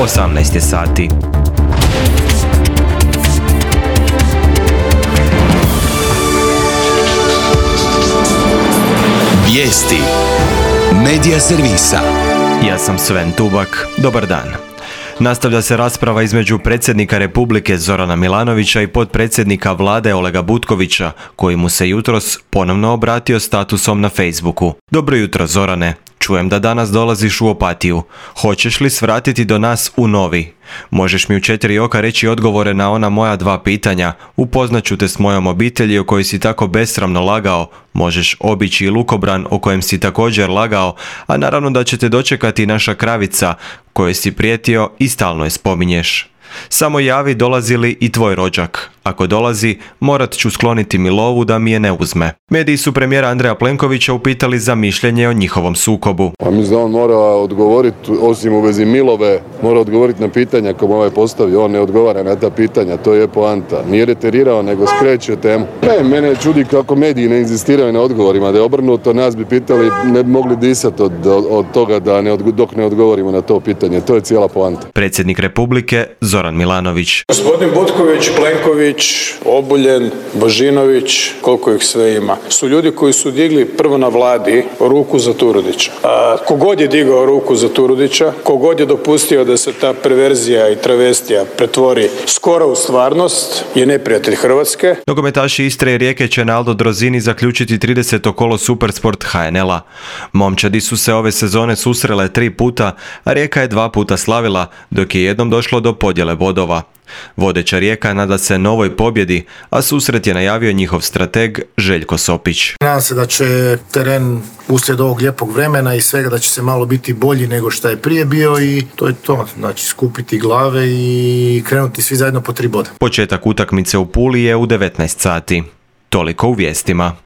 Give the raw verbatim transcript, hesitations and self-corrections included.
osamnaest je sati. Vijesti Medija servisa. Ja sam Sven Tubak. Dobar dan. Nastavlja se rasprava između predsjednika Republike Zorana Milanovića i potpredsjednika vlade Olega Butkovića, koji mu se jutros ponovno obratio statusom na Facebooku. Dobro jutro, Zorane. Čujem da danas dolaziš u Opatiju. Hoćeš li svratiti do nas u Novi? Možeš mi u četiri oka reći odgovore na ona moja dva pitanja. Upoznaću te s mojom obitelji o kojoj si tako besramno lagao. Možeš obići i lukobran o kojem si također lagao, a naravno da će te dočekati naša kravica kojoj si prijetio i stalno je spominješ. Samo javi dolazi li i tvoj rođak. Ako dolazi, morat ću skloniti mi lovu da mi je ne uzme. Mediji su premijera Andreja Plenkovića upitali za mišljenje o njihovom sukobu. A mislim da on mora odgovoriti, osim u vezi Milove, mora odgovoriti na pitanja koje mu ovaj postavio. On ne odgovara na ta pitanja, to je poanta. Nije reterirao, nego skreće temu. Ne, mene čudi kako mediji ne inzistiraju na odgovorima. Da je obrnuto, nas bi pitali, ne bi mogli disati od, od toga da ne, dok ne odgovorimo na to pitanje. To je cijela poanta. Predsjednik Republike Zoran Milanović. Gospodin Butković, Plenković, Obuljen, Božinović, koliko ih sve ima, su ljudi koji su digli prvo na vladi ruku za Turudića. A, kogod je digao ruku za Turudića, kogod je dopustio da se ta perverzija i travestija pretvori skoro u stvarnost, je neprijatelj Hrvatske. Nogometaši Istre i Rijeke će na Aldo Drozini zaključiti trideseto kolo Supersport H N L-a. Momčadi su se ove sezone susrele tri puta, a Rijeka je dva puta slavila, dok je jednom došlo do podjele bodova. Vodeća Rijeka nada se novoj pobjedi, a susret je najavio njihov strateg Željko Sopić. Nadam se da će teren uslijed ovog lijepog vremena i svega da će se malo biti bolji nego što je prije bio i to je to. Znači skupiti glave i krenuti svi zajedno po tri boda. Početak utakmice u Puli je u devetnaest sati. Toliko u vijestima.